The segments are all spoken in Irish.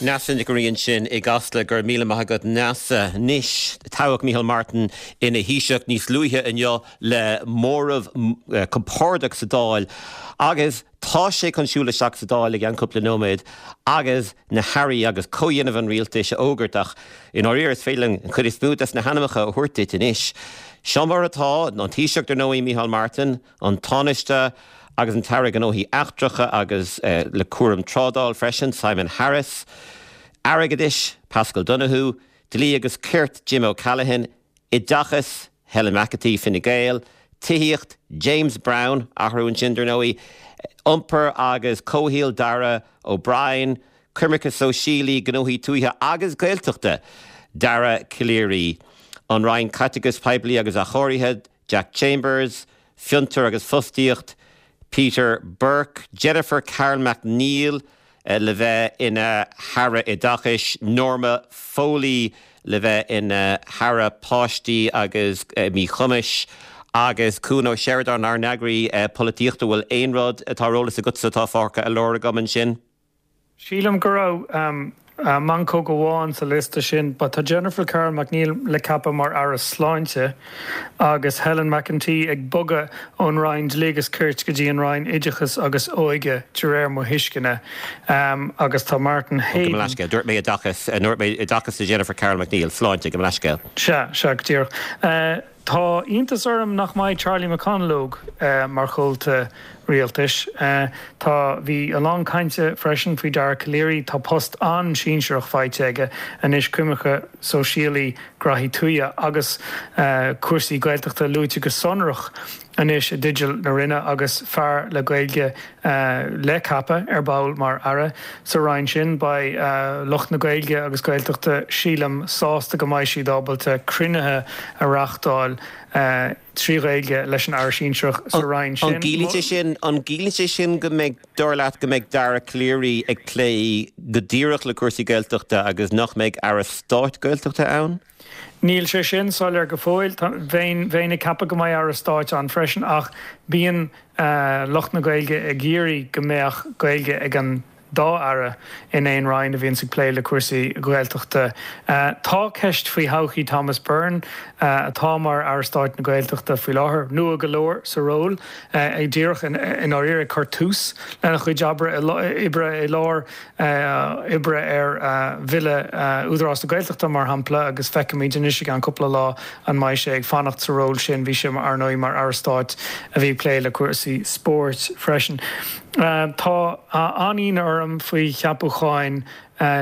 Neasa Nic an Rí ansin i gCasla, go raibh míle maith agat Neasa. Anois, toghadh Micheál Martin ina Thaoiseach níos luaithe inniu le móramh compordach sa Dáil agus tá sé chun siúl isteach sa Dáil i gceann cúpla nóiméad agus na hairí agus comhdhéanamh an rialtais a fhógairt ach i ndáiríre is féidir linn an chuid is mó des na hainmneacha a thabhairt duit anois. Seo mar atá, an Taoiseach dar ndóigh Micheál Martin, an Tánaiste agus an tAire Gnóthaí Eachtracha agus le cúram trádáil freisin, Simon Harris, Airgeadais, Paschal Donohoe, Dlí agus Cirt, Jim O'Callaghan, Oideachas, Helen McEntee, Fine Gael, Tithíocht, James Browne, athrú ansin dar ndóigh, Iompar agus Comhshaoil, Darragh O'Brien, Coimirce Sóisialaí, Gnóthaí Tuaithe agus Gaeltachta, Dara Calleary, An Roinn Caiteachais Poiblí agus Athchóirithe, Jack Chambers, Fiontar agus Fostaíocht, Peter Burke, Jennifer Carroll MacNeill le bheith ina hAire Oideachais, Norma Foley le bheith ina hAire Páistí agus Míchumais, agus Cuan Ó Seireadáin, ár n-eagraí polaitíochta. Bhfuil aon rud atá ar eolas agatsa atá fágtha ar lár agam ansin? Sílim go raibh meancóg amháin sa liosta sin. Tá Jennifer Carroll MacNeill le ceapadh mar Aire Sláinte agus Helen McEntee ag bogadh ón Roinn Dlí agus Cirt go dtí an Roinn Oideachais agus Óige, de réir mo thuisceana. Agus tá Martin Heydon. Gabh mo leithscéal, dúirt mé Oideachas, dúirt mé Oideachas do Jennifer Carroll MacNeill, Sláinte, gabh mo leithscéal. Sea, sea, go díreach. Tá iontas orm nach mbeidh Charlie McConalogue mar chomhalta rialtais. Tá, bhí a lán cainte freisin faoi Dara Calleary. Tá post an-sinsearach faighte aige anois, coimirce sóisialaí, graithí tuaithe agus cúrsaí Gaeltachta luaite go sonrach anois i dteideal na Roinne agus fear le Gaeilge le ceapadh ar ball mar Aire sa Roinn sin. Beidh lucht na Gaeilge agus Gaeltachta, sílim, sásta go mbeidh siad ábalta cruinnithe a reáchtáil trí Ghaeilge leis an Aire Sinsearach sa Roinn sin. An gciallaíonn sé sin, an gciallaíonn sé sin go mbeidh, dar leat, go mbeidh Dara Calleary ag plé go díreach le cúrsaí Gaeltachta agus nach mbeidh Aire Stáit Gaeltachta ann? Níl sé sin soiléir go fóill. Bheinn, bheinn ag ceapadh go mbeidh Aire Stáit ann freisin ach bíonn lucht na Gaeilge ag iarraidh go mbeadh Gaeilge ag an dá Aire in aon Roinn a bhíonns ag plé le cúrsaí Gaeltachta. Tá ceist faoi thodhchaí Thomas Byrne, atá mar Aire Stáit na Gaeltachta faoi láthair, nua go leor sa ról, é díreach i ndáiríre ag cur tús lena chuid oibre i lár oibre ar Bhille Údarás na Gaeltachta, mar shampla, agus feicfimid anois i gceann cúpla lá an mbeidh sé ag fanacht sa ról sin. Bhí sé, ar ndóigh, mar Aire Stáit a bhí ag plé le cúrsaí spóirt freisin. Tá an-ionadh orm faoi cheapúcháin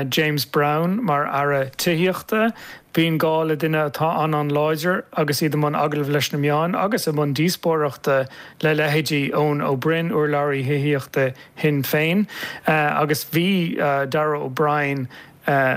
James Browne mar Aire Tithíochta. Bíonn gá le duine atá an-an-láidir agus iad i mbun agallaimh leis na meáin agus i mbun díospóireachta le leithéidí Eoin Ó Broin, urlabhraí thithíochta Shinn Féin, agus bhí Darragh O'Brien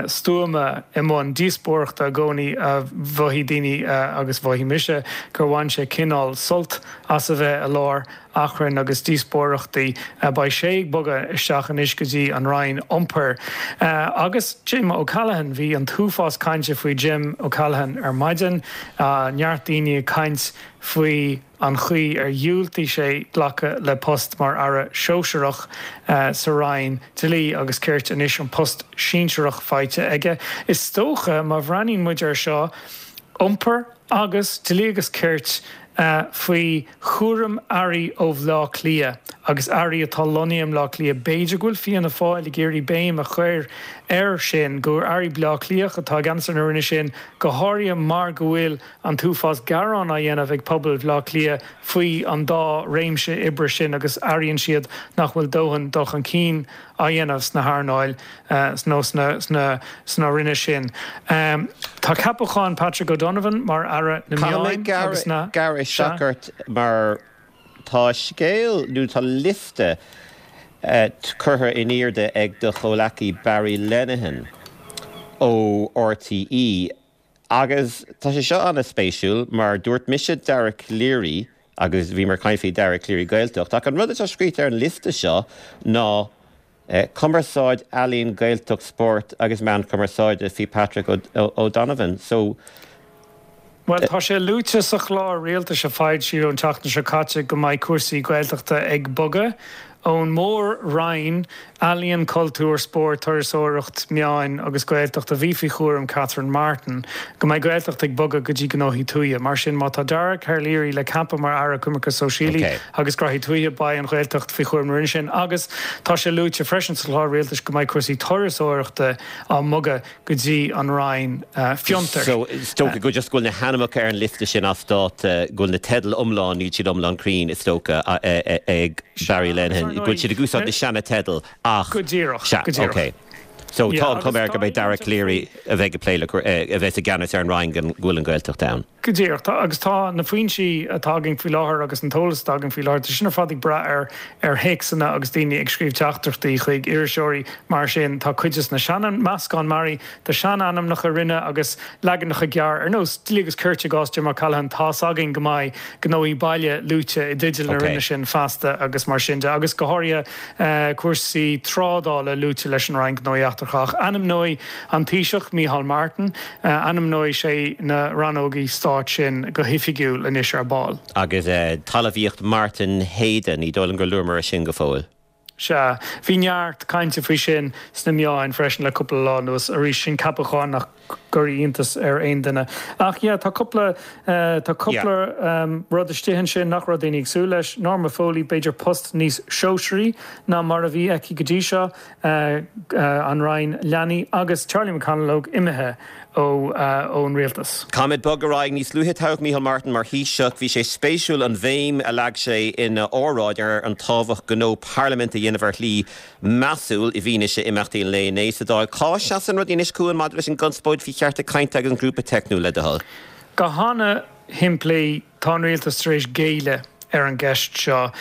stuama i mbun díospóireachta i gcónaí. Mhothaigh daoine, agus mhothaigh mise, gur bhain sé cineál sult as a bheith i lár achrainn agus díospóireachtaí. Beidh sé ag bogadh isteach anois go dtí an Roinn Iompair. Agus Jim O'Callaghan, bhí an t-uafás cainte faoi Jim O'Callaghan ar maidin, neart daoine ag caint faoi. an chaoi ar dhiúltaigh sé glacadh le post mar Aire Sóisearach sa Roinn Dlí agus Cirt, anois an post sinsearach faighte aige. Is dócha, má bhreathnaíonn muid air seo, Iompar agus Dlí agus Cirt faoi chúram Airí ó Bhleá Cliath agus Airí atá lonnaithe i mBleá Cliath, b'fhéidir go bhfuil Fianna Fáil ag iarraidh béim a chur air sin, gur Airí Bleá Cliathach atá i gceannas ar na Roinne sin, go háirithe mar go bhfuil an t-uafás gearán á dhéanamh ag pobal Bhaile Átha Cliath faoi an dá réimse oibre sin agus airíonn siad nach bhfuil dóthain dul chun cinn á dhéanamh sna hearnáil nó sna roinne sin. Tá ceapachán Patrick O'Donovan mar Aire na Meáin agus na. Caithfidh mé gearradh isteach ort mar tá scéal nó tá liosta curtha in airde ag do chomhleacaí Barry Lenihan ó RTÉ Agus tá sé seo an-spéisiúil mar dúirt mise Dara Calleary agus bhíomar ag caint faoi Dara Calleary Gaeltacht ach an rud atá scríte ar an liosta seo ná Cumarsáid, Ealaín, Gaeltacht, Spórt agus Meán Cumarsáide faoi Patrick O'Donovan. So. Bhuel, tá sé luaite sa chlár rialtais a foilsíodh an tseachtain seo caite go mbeidh cúrsaí Gaeltachta ag bogadh. Ón mór-roinn, Ealaíon, Cultúr, Spórt, Turasóireacht, Meáin agus Gaeltacht, a bhí faoi chúram Catherine Martin, go mbeidh Gaeltacht ag bogadh go dtí Gnóthaí Tuaithe. Mar sin, má tá Dara Calleary le ceapadh mar Aire Coimirce Sóisialaí agus Graithí Tuaithe, beidh an Ghaeltacht faoi chúram na Roinne sin. Agus tá sé luaite freisin sa chlár rialtais go mbeidh cúrsaí turasóireachta á mbogadh go dtí an Roinn Fiontair. So, is dócha go just go bhfuil na hainmneacha ar an liosta sin as dáta, go bhfuil na teidil iomlán, níl siad iomlán cruinn, is dócha, ag Barry Lenihan, go bhfuil siad ag úsáid na seana-teidil ach. Go díreach, go díreach. Ok. So, tá an chuma air go mbeidh Dara Calleary a bheidh ag plé le, a bheas i gceannas ar an Roinn go bhfuil an Ghaeltacht ann. Go díreach. Tá, agus tá na foinsí atá againn faoi láthair agus an t-eolas atá againn faoi láthair, tá sin ar fad ag brath ar ar théacsanna agus daoine ag scríobh teachtaireachtaí chuig iriseoirí. Mar sin, tá cuid de na sean, meascán mearaí de shean-ainmneacha roinne agus leaganacha gearr ar nós Dlí agus Cirt i gcás Jim O'Callaghan. Tá's againn go mbeidh Gnóthaí Baile luaite i dteideal na roinne sin feasta agus mar sin de. Agus go háirithe cúrsaí trádála luaite leis an Roinn Gnóthaí Eachtracha. Ach ainmneoidh an Taoiseach, Micheál Martin, ainmneoidh sé na rannógaí stáit sin go hoifigiúil anois ar ball. Agus talmhaíocht Martin Heydon, ní dóigh liom gur luamar é sin go fóill. Sea, bhí neart cainte faoi sin sna meáin freisin le cúpla lá anuas. Arís, sin ceapachán nach gcuirfidh iontas ar aon duine. Ach yeah, tá cúpla, tá cúpla rud istigh ansin nach raibh daoine ag súil leis. Norma Foley, b'fhéidir post níos sóisearaí ná mar a bhí aici go dtí seo, an Roinn Leanaí, agus Charlie McConalogue imithe ón rialtas. Caithfimid bogadh ar aghaidh. Níos luaithe toghadh Micheál Martin mar Thaoiseach. Bhí sé spéisiúil an bhéim a leag sé ina óráid ar an tábhacht gnó parlaiminte a dhéanamh ar shlí measúil i bhfianaise imeachtaí an lae inné sa Dáil. Cá seasann rudaí anois, Cuan, maidir leis an gconspóid faoi chearta cainte agus an grúpa teicniúil, le do thoil? Go hana-shimplí, tá an rialtas tar éis géilleadh ar an gceist seo.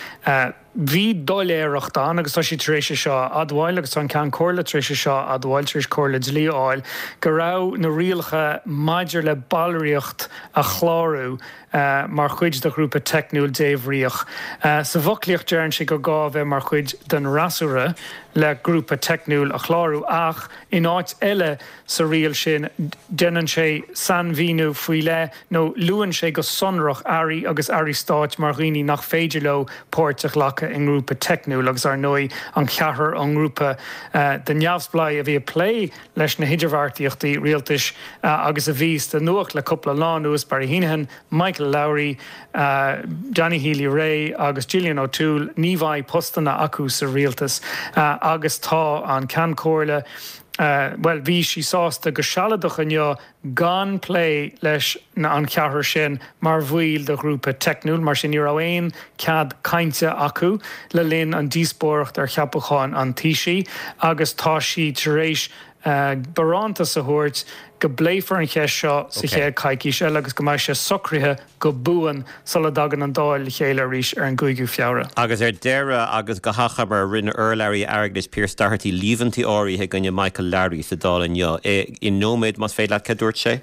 Bhí doiléireacht ann agus tá siad tar éis é seo a admháil agus tá an Ceann Comhairle tar éis é seo a admháil, tar éis comhairle dlí a fháil, go raibh na rialacha maidir le ballraíocht a chlárú mar chuid de ghrúpa teicniúil débhríoch. Sa bhfoclaíocht deireann sé gur gá a bheith mar chuid den fhreasúra le grúpa teicniúil a chlárú ach in áit eile sa riail sin déanann sé sainmhíniú faoi leith nó luann sé go sonrach airí agus airí stáit mar dhaoine nach féidir leo páirt a ghlacadh i ngrúpa teicniúil agus ar ndóigh an ceathrar ón ngrúpa de neamhspleáigh a bhí ag plé leis na hidirbheartaíochtaí rialtais agus a bhí sa nuacht le cúpla lá anuas, Barry Heneghan, Michael Lowry, Danny Healy-Rae agus Gillian O'Toole, ní bheidh postanna acu sa rialtas agus tá an Ceann Comhairle, bhuel, bhí sí sásta go sealadach inniu gan plé leis an cheathrar sin mar bhaill de ghrúpa teicniúil, mar sin ní raibh aon cead cainte acu le linn an díospóireacht ar cheapachán an Taoisigh agus tá sí tar éis barántas a thabhairt go bpléifear an cheist seo sa chéad choicís eile agus go mbeidh sé socraithe go buan sula dtagann an Dáil le chéile arís ar an gcúigiú Feabhra. Agus ar deireadh, agus go hachomair, rinne urlabhraí airgeadais Pearse Doherty líomhaintí áirithe i gcoinne Michael Lowry sa Dáil inniu. I nóiméad, más féidir leat, cad dúirt sé?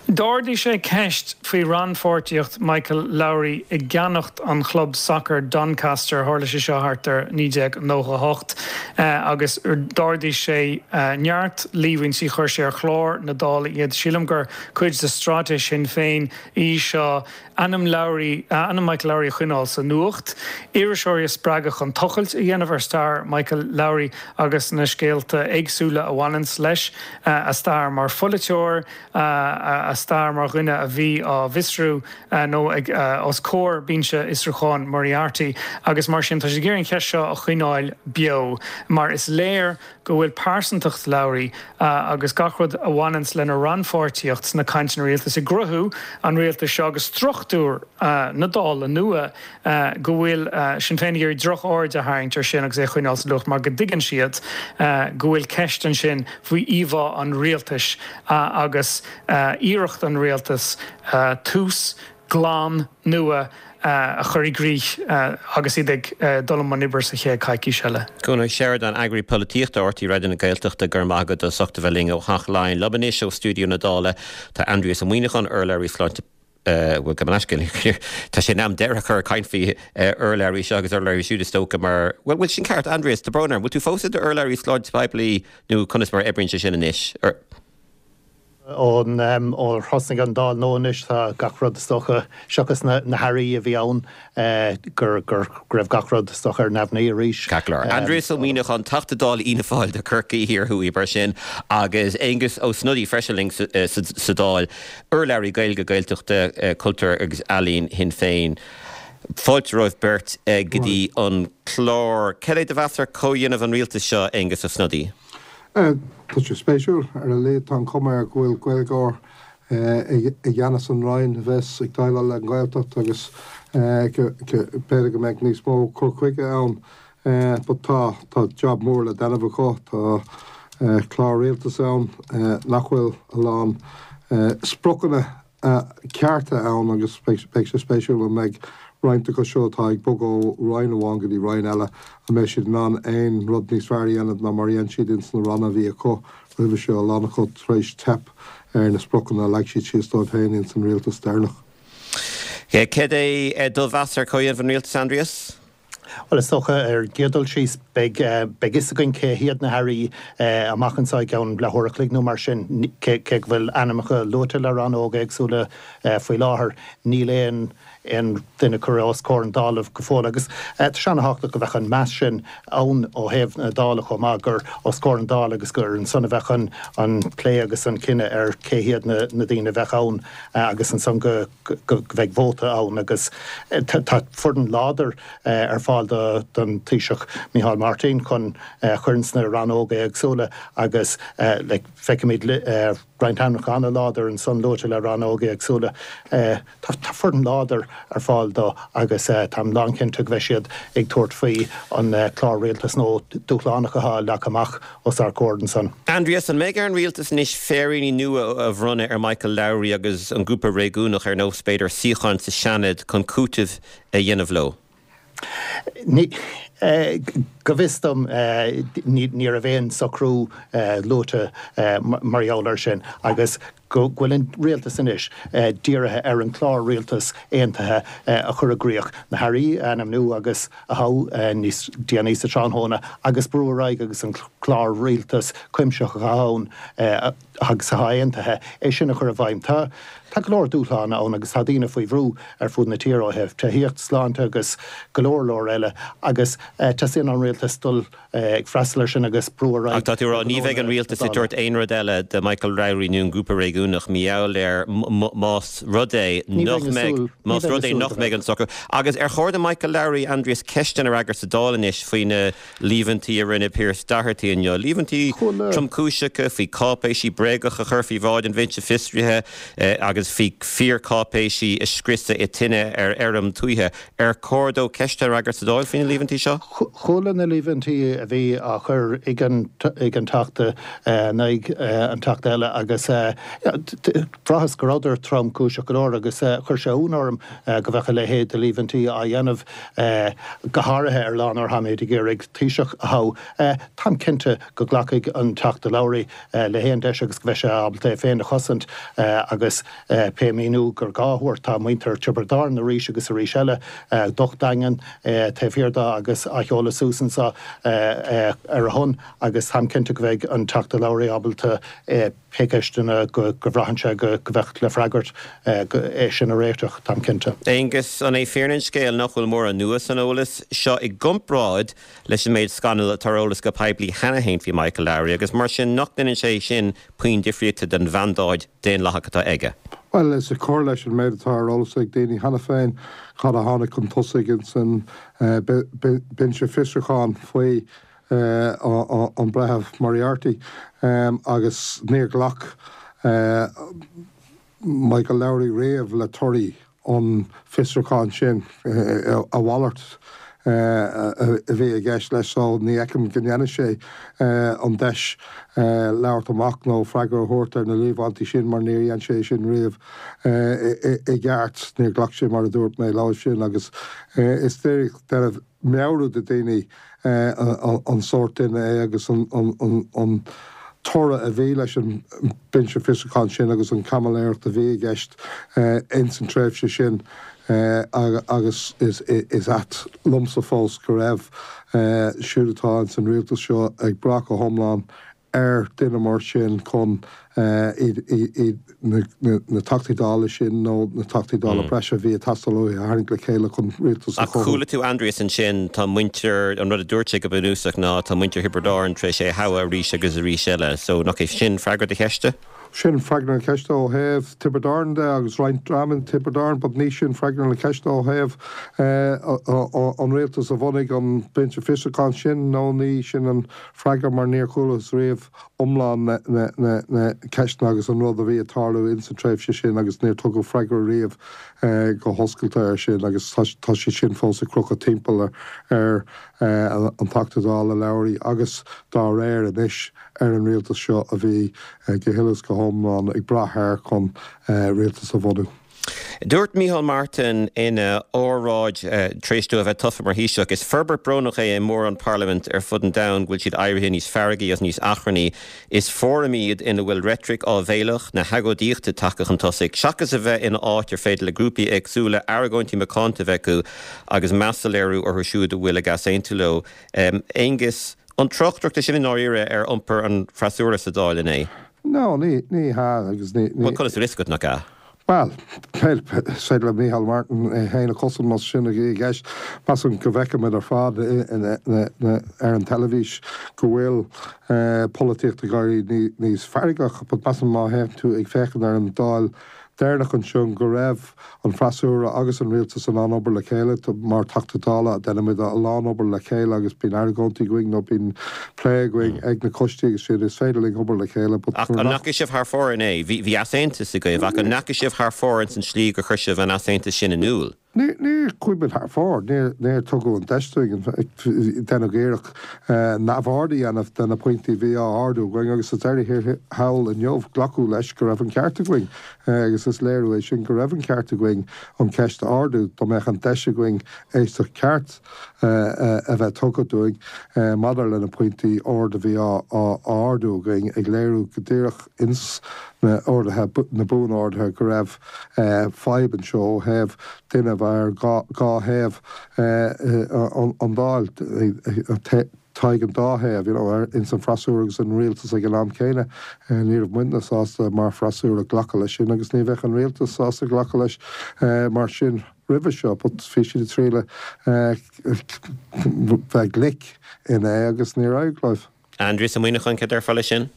D'ardaigh sé ceist faoi rannpháirtíocht Michael Lowry i gceannacht an chlub sacair Doncaster, tharla sé seo thart ar 1998, agus d'ardaigh sé neart líomhaintí, chuir sé ar chlár na Dála iad. Sílim gur cuid de straitéis Shinn Féin í seo ainm Lowry, ainm Michael Lowry a choinneáil sa nuacht, iriseoirí a spreagadh chun tochailt a dhéanamh ar stair Michael Lowry agus na scéalta éagsúla a bhaineanns leis, a stair mar pholaiteoir, a stair mar dhuine a bhí á bhfiosrú nó ag os comhair binse fhiosrúcháin Moriarty agus mar sin tá siad ag iarraidh an cheist seo a choinneáil beo mar is léir go bhfuil pearsantacht Lowry agus gach rud a bhaineanns lena rannpháirtíocht sna cainteanna rialtais i gcruthú an rialtais seo agus struchtúr na Dála nua, go bhfuil Sinn Féin ag iarraidh droch-aird a tharraingt ar sin agus é a choinneáil sa nuacht mar go dtuigeann siad go bhfuil ceist ansin faoi íomhá an rialtais agus iarracht an rialtais tús glan nua a chur i gcrích agus iad ag dul i mbun oibre sa chéad choicís eile. Cuan Ó Seireadáin, Eagraí Polaitíochta RTÉ Raidió na Gaeltachta, go raibh maith agat as ucht a bheith linn ó Theach Laighean. Liom anois ó stiúideo na Dála tá Aindrias Ó Muimhneacháin, urlabhraí sláinte bhuel, gabh mo leithscéal, tá sé in am deireadh a chur ag caint faoi urlabhraí seo agus urlabhraí siúd is dócha mar, bhuel, bhfuil sin ceart, Aindrias, tá brón orm, bhfuil tú fós i d'urlabhraí sláinte poiblí nó conas mar a oibríonn sé sin anois? Ón ó thosnaigh an Dáil nua anois tá gach rud is dócha, seachas na hairí a bhí ann, go raibh gach rud is dócha ar neamhní arís. Ceart go leor. Aindrias Ó Muíneacháin, Teachta Dála Fhianna Fáil do Chorcaigh Thiar Thuaidh mar sin agus Aengus Ó Snodaigh freisin linn sa Dáil, urlabhraí Gaeilge, Gaeltachta, Cultúir agus Ealaíon Shinn Féin. Fáilte romhaibh beirt go dtí an clár. Cad é do mheas ar chomhdhéanamh an rialtais seo, Aengus Ó Snodaigh? Tá sé spéisiúil. Ar a laghad tá an chuma air go bhfuil Gaeilgeoir i gceannas an Roinn a bheas ag déileáil le an Ghaeltacht agus b'fhéidir go mbeidh níos mó cur chuige ann. But tá, tá jab mór le déanamh acu. Tá clár rialtais ann nach bhfuil a lán spriocanna cearta ann agus beidh sé spéisiúil an mbeidh roinnt acu seo atá ag bogadh ó roinn amháin go dtí roinn eile, an mbeidh siad in ann aon rud níos fearr a dhéanamh ná mar a dhein siad ins na ranna a bhí acu roimhe seo, a lán acu tar éis teip ar na spriocanna a leag siad síos dóibh féin ins an rialtas deireanach. Céard é do mheas ar chomhdhéanamh an rialtais, Aindrias? Bhuel, is dócha, ar an gcéad dul síos, beidh beidh fhios againn cé hiad na hairí amach anseo i gceann leathuair a chloig nó mar sin. Cé go bhfuil ainmneacha luaite le rannóga éagsúla faoi láthair, níl aon aon duine curtha os comhair an Dála go fóill. Agus tá sé an-thábhachtach go mbeadh an meas sin ann ó thaobh na Dála chomh maith, gur os comhair an Dála agus gur ansan a bheadh an an plé agus an cinneadh ar cé hiad na na daoine a bheadh ann agus ansan go go mbeidh vóta ann agus tá foireann láidir ar fáil don Taoiseach Micheál Martin chun cur ins na rannóga éagsúla agus feicimid roinnt ainmneacha an-láidir ansan luaite le rannóga éagsúla. Tá foireann láidir ar fáil dó agus táim lánchinnte go mbeidh siad ag tabhairt faoi an clár rialtais nua dúshlánach atá leagtha amach os ár gcomhair ansan. Aindrias, an mbeidh ar an rialtas anois féiríní nua a bhronnadh ar Michael Lowry agus an grúpa réigiúnach ar nós, b'fhéidir, suíocháin sa Seanad chun cúiteamh a dhéanamh leo? Ní, go bhfios dom, ní raibh aon socrú luaite mar gheall air sin agus go bhfuil an rialtas anois dírithe ar an clár rialtais aontaithe a chur i gcrích, na hairí a ainmniú agus a thoghadh níos déanaí sa tráthnóna agus brú ar aghaidh agus an clár rialtais cuimsitheach atá ann agus atá aontaithe, é sin a chur i bhfeidhm. Tá tá go leor dúshlán ann agus tá daoine faoi bhrú ar fud na tíre ó thaobh tithíocht, sláinte agus go leor leor eile agus teastaíonn ón rialtas dul ag freastal air sin agus brú ar aghaidh. Ach tá tú ag rá ní bheidh an rialtas ag tabhairt aon rud eile do Michael Lowry nó an grúpa réigiúnach mar gheall air más rud é nach mbeidh más rud é nach mbeidh an socrú. Agus ar chóir do Michael Lowry, Aindrias, ceisteanna a fhreagairt sa Dáil anois faoi na líomhaintí a rinne Pearse Doherty inniu, líomhaintí tromchúiseacha faoi cáipéisí bréagacha a chur faoi bhráid an Bhinse Fiosraithe agus faoi fíorcháipéisí a scriosadh i tine ar fheirm tuaithe. Ar chóir dó ceisteanna a fhreagairt sa Dáil faoi na líomhaintí seo? Chuala na líomhaintí a bhí á chur ag an Teachta in aghaidh an Teachta eile agus bhraitheas go rabhadar tromchúiseach go leor agus chuir sé ionadh orm go mbeadh a leithéid de líomhaintí á dhéanamh, go háirithe ar lá nuair atáimid ag iarraidh Taoiseach a thoghadh. Táim cinnte go nglacfaidh an Teachta Lowry le haon deis agus go mbeidh sé ábalta é féin a chosaint agus Pé míniú gur gá a thabhairt, tá muintir Tiobraid Árann arís agus arís eile docht daingean taobh thiar de agus á sheoladh suas anseo ar a shon agus táim cinnte go mbeidh an Teachta Lowry ábalta pé ceisteanna go bhraitheann sé go mbeadh le freagairt, é sin a réiteach, táim cinnte. Aengus, an é fírinne an scéil nach bhfuil mórán nua san eolas seo i gcomparáid leis an méid scannal atá ar eolas go poiblí cheana féin faoi Michael Lowry agus mar sin nach ndéanann sé sin puinn difríochta don mhandáid daonlathach atá aige. Bhuel, is ag cur leis an méid atá ar eolas ag daoine cheana féin cad a tháinig chun tosaigh ins an Binse Fiosrúcháin faoi an Breitheamh Moriarty agus níor ghlac Michael Lowry riamh le torthaí an fiosrúcháin sin, a mhalairt a bhí i gceist leis so ní fheicim go ndéanfaidh sé an deis labhairt amach nó freagra a thabhairt ar na líomhaintí sin mar níor dhein sé sin riamh i gceart. Níor ghlac sé, mar a dúirt mé, leo sin agus is díreach déanamh meabhrú do daoine an sórt duine é agus an toradh a bhí leis an Binse Fiosrúcháin sin agus an chaimiléireacht a bhí i gceist ins an tréimhse sin agus is ait liomsa fós go raibh siúd atá ins an rialtas seo ag brath go hiomlán. ar duine mar sin chun iad na Teachtaí Dála sin nó na Teachtaí Dála breise a bhí ag teastáil uathu a tharraingt le chéile chun rialtas a Ach chothú. chuala tú Aindrias ansin, tá muintir, an rud a dúirt sé go bunúsach ná tá muintir Thiobraid Árann tar éis é a thoghadh arís agus arís eile. So nach é sin freagra do cheiste? Sin freagra na ceiste ó thaobh Tiobraid Árann de agus roinnt dream in Tiobraid Árann but ní sin freagra na ceiste ó thaobh an rialtas a bhunaigh an Binse Fiosrúcháin sin nó ní sin an freagra mar níor chualathas riamh iomlán na ceisteanna agus an rud a bhí ag tarlú ins an tréimhse sin agus níor tugadh freagra riamh go hoscailte air sin agus tá sé sin fós ag crochadh timpeall ar an Teachta Dála Lowry agus dá réir anois. ar an rialtas seo a bhí go huile is go hiomlán ag brath air chun rialtas a bhunú. Dúirt Micheál Martin ina óráid tar éis dó a bheith tofa mar Thaoiseach, Is forbairt brónach é i mórán parlaimint ar fud an domhain go bhfuil siad éirithe níos feargaí agus níos achrannaí. Is fóram iad ina bhfuil reitric áibhéileach na hagóidíochta tagtha chun tosaigh, seachas a bheith ina áit ar féidir le grúpaí éagsúla argóintí macánta a bheith acu agus meas a léiriú orthu siúd a bhfuil ag easaontú leo. Aengus, An tráchtaireacht é sin i ndáiríre ar iompar an fhreasúra sa Dáil inné? No, ní, ní hea agus ní, ní. Bhuel, conas a bhfuil fhios agat nach ea? Bhuel, is féidir le Micheál Martin é féin a chosaint más sin a bhí i gceist. Measaim go bhfeicimid ar fad ar an teilifís go bhfuil polaitíocht ag éirí níos feargach but measaim má théann tú ag féachaint ar an Dáil deireanach ansin go raibh an freasúra agus an rialtas in ann obair le chéile. Mar Theachta Dála, déanaimid a lán obair le chéile agus bíonn argóintí againn nó bíonn plé againn ag na coistí agus sin. Is féidir linn obair le chéile but Ach an ndeachaigh sibh thar fóir inné? Bhí easaontas agaibh ach an ndeachaigh sibh thar fóir ins an slí gur chuir sibh an easaontas sin in iúl? Níor chuaigh muid thar fóir. Níor tugadh an deis dúinn. Deineadh iarracht neamhaird a dhéanamh de na pointí a bhí á ardú againn agus sa deireadh thiar thall inniu glacadh leis go raibh an ceart againn agus is léiriú é sin go raibh an ceart againn an cheist a ardú. Dá mbeadh an deis againn éisteacht ceart a bheith tugtha dúinn maidir le na pointí ard a bhí á ardú againn ag léiriú go díreach ins na orduithe, na buan-orduithe go raibh fadhb anseo ó thaobh duine a bheith ar dhá thaobh an Dáil, taghaidh an dá thaobh, you know, ins an freasúra agus an rialtas ag an am céanna. Ní raibh muidne sásta mar freasúra glacadh leis sin agus ní bheadh an rialtas sásta glacadh leis mar sin roimhe seo but bhí siad ag triail bheith glic inné agus níor éirigh leo. Aindrias Ó Muimhneacháin, cad déarfá leis sin?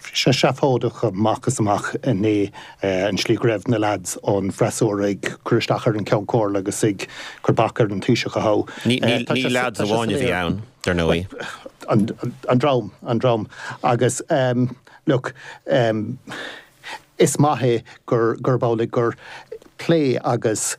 Bhí sé seafóideach amach is amach inné, an slí go raibh na leaids ón bhfreasúra ag cur isteach ar an Ceann Comhairle agus ag cur bac ar an Taoiseach a thoghadh. Ní leaids amháin a bhí ann, dar ndóigh. An dream, an dream. Agus look, is maith é gurb amhlaidh gur plé agus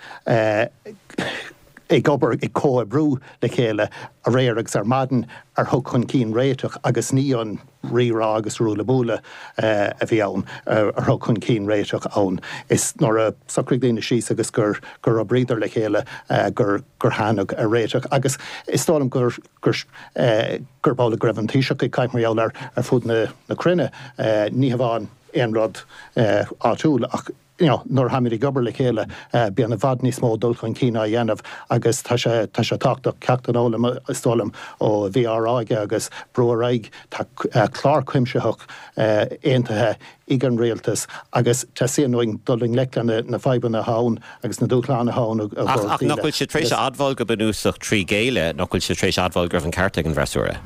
ag obair, ag comhoibriú le chéile aréir agus ar maidin a thug chun cinn réiteach agus ní an rírá agus ruaille buaille a bhí ann a thug chun cinn réiteach ann. Is nuair a socraigh daoine síos agus gur gur oibríodar le chéile gur gur tháinig ar réiteach agus is dóigh liom gur gur gurb amhlaidh go raibh an Taoiseach ag caint mar gheall air ar fud na na cruinne. Ní hamháin aon rud áitiúil ach you know, nuair atháimid ag obair le chéile, bíonn i bhfad níos mó dul chun cinn á dhéanamh agus tá sé, tá sé tábhachtach ceacht a fhoghlaim, is dóigh liom, ó a bhí á rá aige agus brú ar aghaidh. Tá clár cuimsitheach aontaithe ag an rialtas agus teastaíonn uainn dul i ngleic le na fadhbanna atá ann agus na dúshláin atá ann i gcomhair Ach nach bhfuil siad tar éis a admháil go bunúsach trí ghéilleadh, nach bhfuil siad tar éis admháil go raibh an ceart ag an bhfreasúra?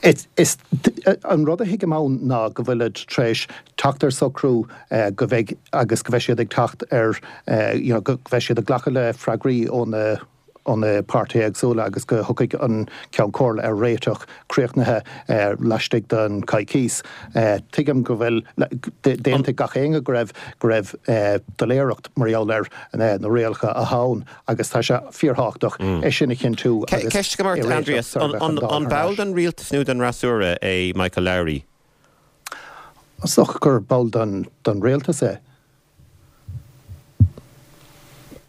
Is an rud a thuigim ann ná go bhfuilid tar éis teacht ar socrú go mbeidh agus go mbeidh siad ag teacht ar you know go mbeidh siad ag glacadh le freagraí ó na ó na páirtithe éagsúla agus go thiocfaidh an Ceann Comhairle ar réiteach críochnaithe laistigh den coicíos. Tuigim go bhfuil d'aontaigh gach éinne go raibh go raibh doiléireacht mar gheall ar na rialacha atá ann. agus tá sé fíorthábhachtach é sin a chinntiú agus Ceist agam ort, Aindrias, an ball den rialtas nó den fhreasúra é Michael Lowry? Is dócha gur ball den rialtas é.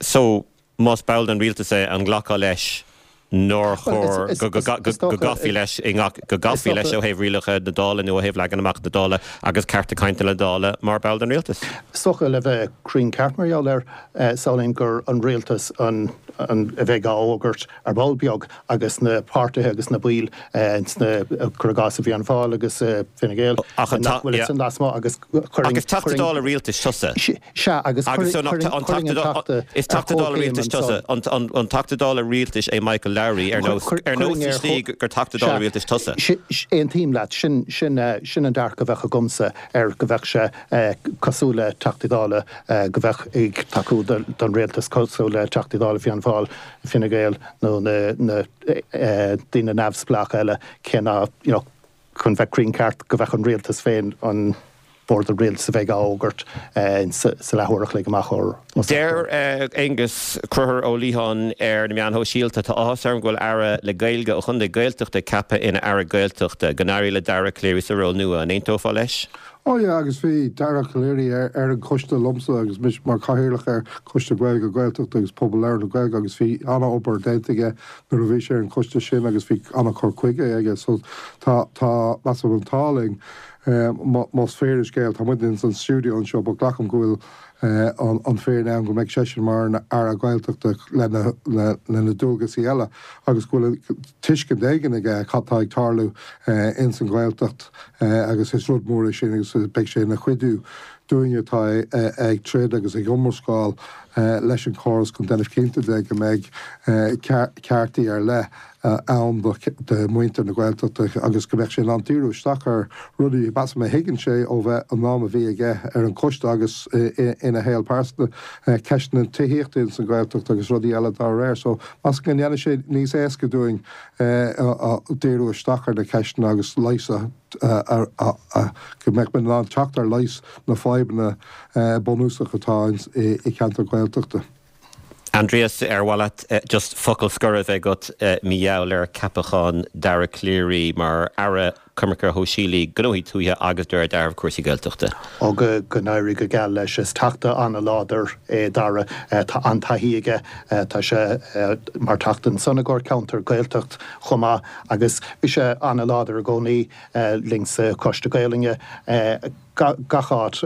So, más ball den rialtas é, an nglacfá leis? Nár chóir go gcaithfí leis i ngach, go gcaithfí leis ó thaobh rialacha na Dála nó ó thaobh leagan amach na Dála agus cearta cainte na Dála mar ball den Rialtas. Is dócha, le bheith cruinn ceart mar gheall air, samhlaím gur an Rialtas an a bheidh á fhógairt ar ball beag agus na páirtithe agus na baill sna, cuir i gcás, i bhFianna Fáil agus Fine Gael nach bhfuil ansin lasmuigh agus chuirfinn, Ach is Teachta Dála Rialtais tusa. Sea, agus chuirfinn an Teachta Is Teachta Dála Rialtais tusa. An Teachta Dála Rialtais é Michael Lowry ar nós ar nós sa tslí gur Teachta Dála Rialtais tusa? Aontaím leat. Sin sin sin an dearcadh a bheadh agamsa air, go mbeadh sé cosúil le Teachtaí Dála, go mbeadh ag tacú don Rialtas cosúil le Teachtaí Dála Fianna Fáil, Fine Gael nó na na daoine neamhspleácha eile, cé ná you know chun bheith cruinn ceart, go mbeadh an Rialtas féin, an Bord an Rialtais a bheidh á fhógairt sa leathuair a chloig amach ó Deir Aengus Conchúr Ó Liatháin ar na meáin shóisialta, Tá áthas orm go bhfuil Aire le Gaeilge ó chontae Gaeltachta ceaptha ina Aire Gaeltachta. Go n-éirí le Dara Calleary sa ról nua. An aontófá leis? Ó yeah, agus bhí Dara Calleary ar ar an choiste liomsa agus mise mar chathaoirleach ar Choiste Gaeilge Gaeltachta agus Pobal Labhartha na Gaeilge agus bhí an-obair déanta aige nuair a bhí sé ar an choiste sin agus bhí an-chur chuige aige so tá tá measaim an t-ádh linn más fíor an scéal tá muid ins an stiúideo anseo but glacaim go bhfuil an fírinne ann go mbeidh seisean mar an Aire Gaeltachta lena lena dualgasaí eile agus go bhfuil tuiscint éigin aige cad tá ag tarlú ins an Ghaeltacht agus is rud mór é sin agus beidh sé ina chuidiú dúinne atá ag troid agus ag iomrascáil leis an chóras chun déanamh cinnte de go mbeidh ceartaí ar leith ann do mhuintir na Gaeltachta agus go mbeadh sé in ann díriú isteach ar rudaí, measaim, a thuigeann sé ó bheith an am a bhí aige ar an choiste agus ina shaol pearsanta, ceisteanna tithíochta ins an Ghaeltacht agus rudaí eile dá réir. So, measaim go ndéanfaidh sé níos éasca dúinn díriú isteach ar na ceisteanna agus leigheas a go mbeadh muid in ann teacht ar leigheas na fadhbanna bunúsacha atá i gceantar Gaeltachta. Aindrias, ar mhaith leat just focal scoir a bheith agat mar gheall ar ceapachán Dara Calleary mar Aire Coimirce Shóisialaí, Gnóthaí Tuaithe agus de réir dealraimh cúrsaí Gaeltachta? Ó go n-éirí go geal leis. Is teachta an-láidir é Dara. Tá an-taithí aige. Tá sé mar teachta ansan i gcomhair ceantar Gaeltacht chomh maith agus bhí sé an-láidir i gcónaí linn sa Choiste Gaelainne. Gach áit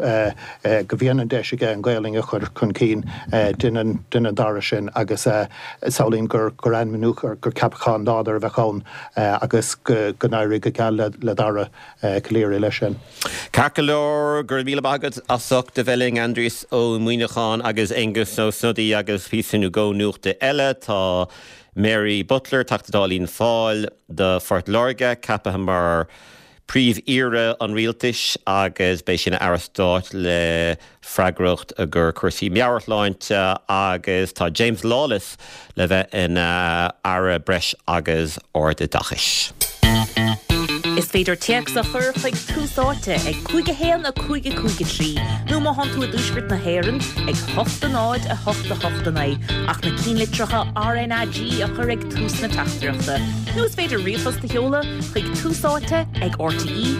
go mbíonn an deis aige an Ghaelainn a chur chun cinn, déanann Dara sin agus samhlaím gur ainmniúchán, gur ceapachán láidir a bheadh ann agus go n-éirí go geal le Dara Calleary leis sin. Ceart go leor, go raibh míle maith agat as ucht a bheith linn, Aindrias Ó Muimhneacháin agus Aengus Ó Snodaigh agus píosa nó dhó nuachta eile. Tá Mary Butler, Teachta Dála Fhianna Fáil do Phort Láirge, ceaptha mar Príomh-Aoire an Rialtais agus beidh sí ina Aire Stáit le freagracht i gcomhair cúrsaí meabhairshláinte agus tá James Lawless le bheith ina Aire Breis agus Ardoideachais. Is féidir téacs a chur chuig Tús Áite ag 5 1 5 5 3 nó má thánn tú i dTuaisceart na hÉireann ag 8 0 8 8 9 ach na cinnlitreacha RnaG a chur ag tús na teachtaireachta. Nó is féidir ríomhphost a sheoladh chuig Tús Áite ag rte.ie.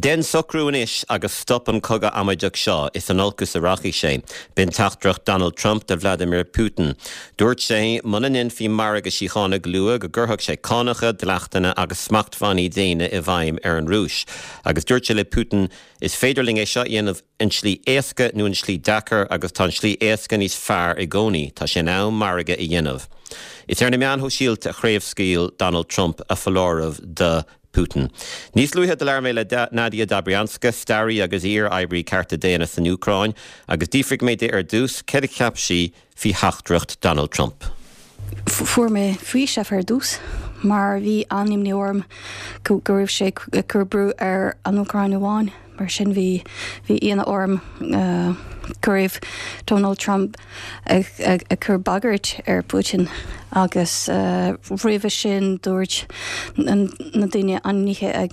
Déan socrú anois agus stop an cogadh amaideach seo, is in olcas a rachaidh sé. B'in teachtaireacht Donald Trump do Vladimir Putin. Dúirt sé muna ndéanfaí margadh síochána go luath go gcuirfeadh sé cánacha, dleachtanna agus smachtbhannaí déine i bhfeidhm ar an Rúis. Agus dúirt sé le Putin, Is féidir linn é seo a dhéanamh an tslí éasca nó an tslí deacair agus tá an tslí éasca níos fearr i gcónaí. Tá sé in am margadh a dhéanamh. Is ar na meáin shóisialta a chraobhscaoil Donald Trump a foláireamh do Putin. Níos luaithe do labhair mé le Nadia Dobrianska, staraí agus iar-oibrí cearta daonna san Úcráin, agus d'fhiafraigh mé di ar dtús céard a cheap sí faoi theachtaireacht Donald Trump. Fuair mé faoiseamh ar dtús mar bhí an-imní orm go raibh sé ag cur brú ar an Úcráin amháin. Mar sin bhí bhí ionadh orm go raibh Donald Trump ag ag cur bagairt ar Putin agus roimhe sin dúirt na daoine ainmnithe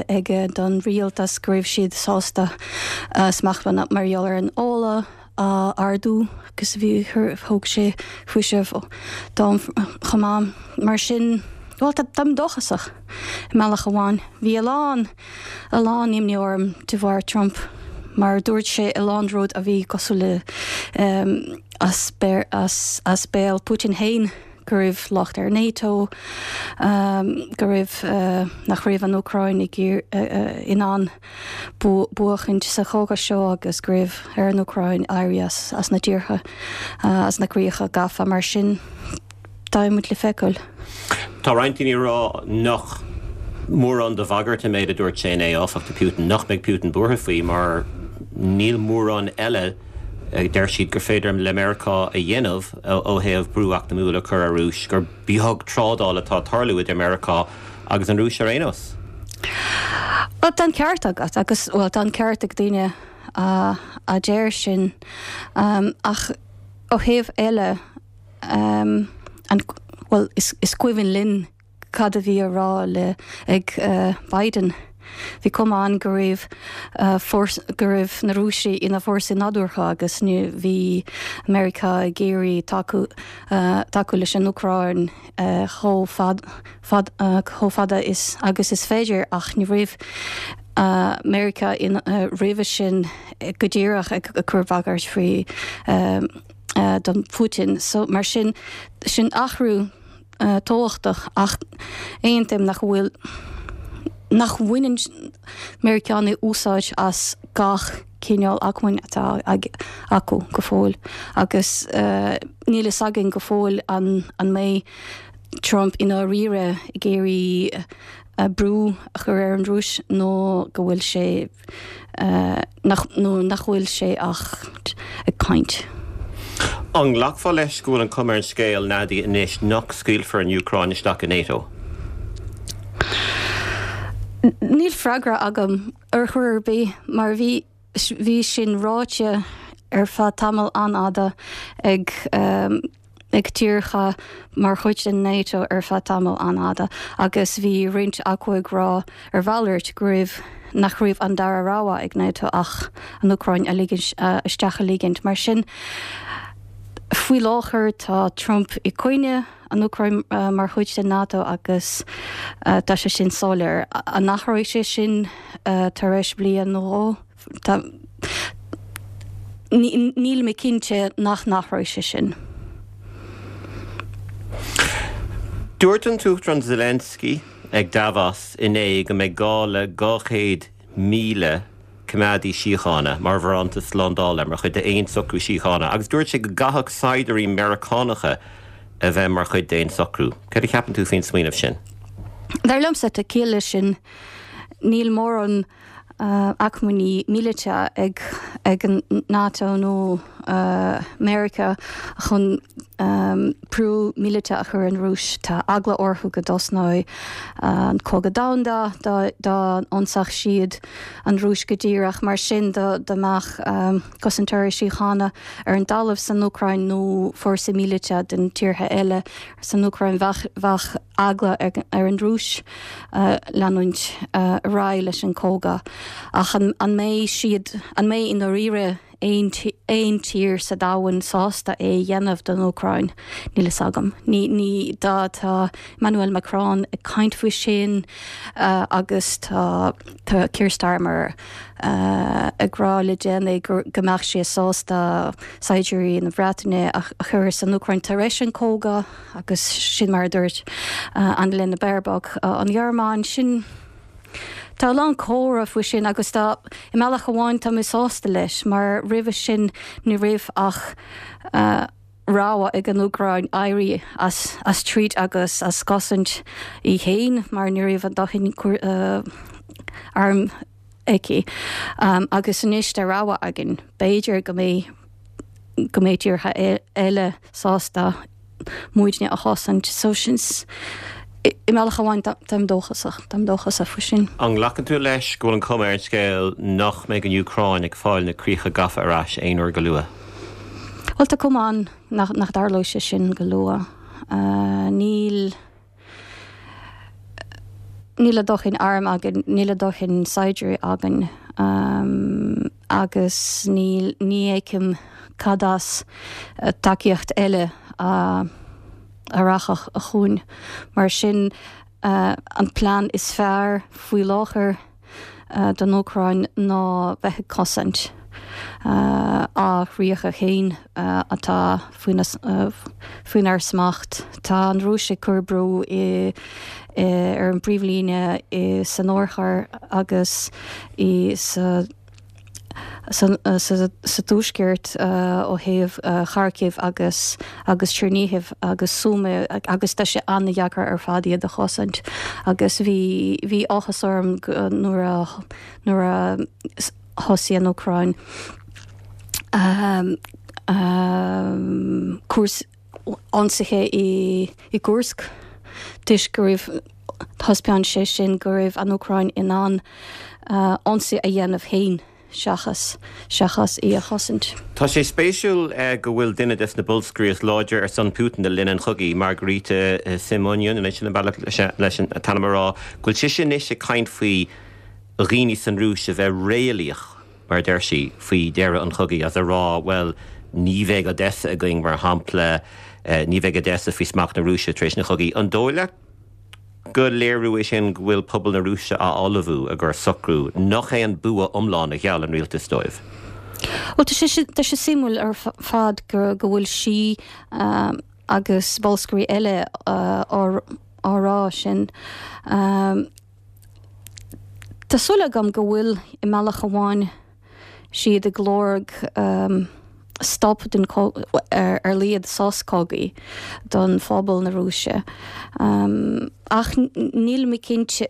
aige don rialtas go raibh siad sásta smachtbhanna mar gheall ar an ola a ardú agus bhí thug sé faoiseamh dom chomh maith. Mar sin, bhuel, táim dóchasach i mbealach amháin. Bhí a lán, a lán imní orm de bharr Trump. mar dúirt sé a lán rud a bhí cosúil le as as béal Putin féin go raibh locht ar NATO, go raibh nach raibh an Úcráin ag in ann buachaint sa chogadh seo agus go raibh ar an Úcráin éirí as as na tíortha as na críocha gafa mar sin beidh muid le feiceáil. Tá roinnt daoine ag rá nach mórán de bhagairt an méid a dúirt sé inné, áfach, do Putin, nach mbeidh Putin buartha faoi mar níl mórán eile, deir siad, gur féidir le Meiriceá a dhéanamh ó thaobh brú eacnamúil a chur ar Rúis, gur beag trádáil atá ag tarlú idir Meiriceá agus an Rúis ar aon nós. Bhuel, tá an ceart agat agus, bhuel, tá an ceart ag daoine a deir sin ach ó thaobh eile, an, bhuel, is cuimhin linn cad a bhí á rá le, ag Biden. Bhí cuma ann go raibh go raibh na Rúisigh ina bhfórsaí nádúrtha agus ní bhí Meiriceá ag iarraidh tacú tacú leis an Úcráin chomh fad fad chomh fada is agus is féidir ach ní raibh Meiriceá in roimhe sin go díreach ag cur bagairt faoi don Putin. So mar sin, sin athrú tábhachtach ach aontaím nach bhfuil, nach mbaineann Meiriceánaigh úsáid as gach cineál acmhainn atá acu go fóill agus níl fhios againn go fóill an an mbeidh Trump i ndáiríre ag iarraidh brú a chur ar an Rúis nó go bhfuil sé nach, nó nach bhfuil sé ach ag caint. An nglacfá leis go bhfuil an chuma ar an scéal, Nadia, anois nach scaoilfear an Úcráin isteach i NATO? Níl freagra agam ar chor ar bith mar bhí, bhí sin ráite ar feadh tamall an-fhada ag, ag tíortha mar chuid den NATO ar feadh tamall an-fhada agus bhí roinnt acu ag rá ar mhalairt go raibh nach raibh an dara rogha ag NATO ach an Úcráin a ligint isteach a ligint. Mar sin, faoi láthair tá Trump i coinne an Úcráin mar chuid den NATO agus tá sé sin soiléir. An athróidh sé sin tar éis bliain nó dhó? Tá. Níl mé cinnte nach n-athróidh sé sin. Dúirt an tUachtarán Zelensky ag Davos inné go mbeidh gá le 200,000 coimeádaí síochána mar bharántas slándála mar chuid d'aon socrú síochána agus dúirt sé go gcaithfeadh saighdiúirí Meiriceánacha a bheith mar chuid d'aon socrú. Céard a cheapann tú faoin smaoineamh sin? Dar liomsa, tá ciall leis sin. Níl mórán. acmhainní míleata ag ag an NATO nó Meiriceá chun brú míleata a chur ar an Rúis. Tá eagla orthu go dtosnóidh an cogadh domhanda dá dá n-ionsódh siad an Rúis go díreach. Mar sin dá dá mbeadh cosantóirí síochána ar an dtalamh san Úcráin nó fórsa míleata den tíortha eile san Úcráin bheadh bheadh eagla ar an Rúis leanúint ar aghaidh leis an gcogadh. Ach an mbeidh siad, an mbeidh i ndáiríre aon aon tír sa domhan sásta é a dhéanamh don Úcráin? Níl fhios agam. Ní, ní, dá, tá Emmanuel Macron ag caint faoi sin agus tá, tá Keir Starmer ag rá le déanaí go mbeadh sé sásta saighdiúirí na Breataine a chur san Úcráin tar éis an cogadh. Agus sin mar a dúirt Annalena Baerbock, an Ghearmáin, sin, tá a lán comhrá faoi sin agus tá, i mbealach amháin tá mé sásta leis mar roimhe sin ní raibh ach rogha ag an Úcráin éirí as, as troid agus as cosaint í féin mar ní raibh a dóthain arm aici. Agus anois tá rogha againn, b'fhéidir go mbeidh, go mbeidh tíortha eile sásta muidne a chosaint. So sin, i mbealach amháin táim dóchasach, táim dóchasach faoi sin. An nglacann tú leis go bhfuil an cuma ar an scéal nach mbeidh an Úcráin ag fáil na críocha gafa ar ais aon uair go luath? Bhuel tá cuma ann nach dtarlóidh sé sin go luath. Níl. Níl a dóthain arm againn, níl a dóthain saighdiúirí againn agus níl, ní fheicim cad as tacaíocht eile a rachadh chugainn. Mar sin, an plean is fearr faoi láthair. don Úcráin ná bheith ag cosaint a chríocha féin atá faoinár smacht. Tá an Rúis ag cur brú ar an bpríomhlíne san oirthear agus sa sa tuaisceart ó thaobh Kharkiv agus agus Chernihiv agus Sumy agus tá sé an-deacair ar fad iad a chosaint agus bhí bhí áthas orm nuair a nuair a thosaigh an Úcráin cúrsaí ionsaithe i gKursk toisc go raibh, thaispeáin sé sin go raibh an Úcráin in ann ionsaí a dhéanamh féin seachas seachas í a chosaint. Tá sé spéisiúil go bhfuil duine des na bolscairí is láidre ar son Putin le linn an chogaidh, Margarita Simonyan, anois sin an bealach leis an t-ainm a rá, go bhfuil sise anois ag caint faoi dhaoine san Rúis a bheith réalaíoch. mar a deir sí, faoi dheireadh an chogaidh, agus a rá, bhuel, ní bheidh Odessa againn, mar shampla, ní bheidh Odessa faoi smacht na Rúise tar éis an chogaidh. An dóigh leat gur léiriú é sin go bhfuil pobal na Rúise á ullmhú i gcomhair socrú nach é an bua iomlán a gheall an rialtas dóibh? Bhuel, tá sé, tá sé suimiúil ar fad go bhfuil sí agus bolscairí eile á rá sin. Tá súil agam go bhfuil, i mbealach amháin, siad ag lorg stop den ar a laghad sos cogaidh don phobal na Rúise. Ach níl mé cinnte,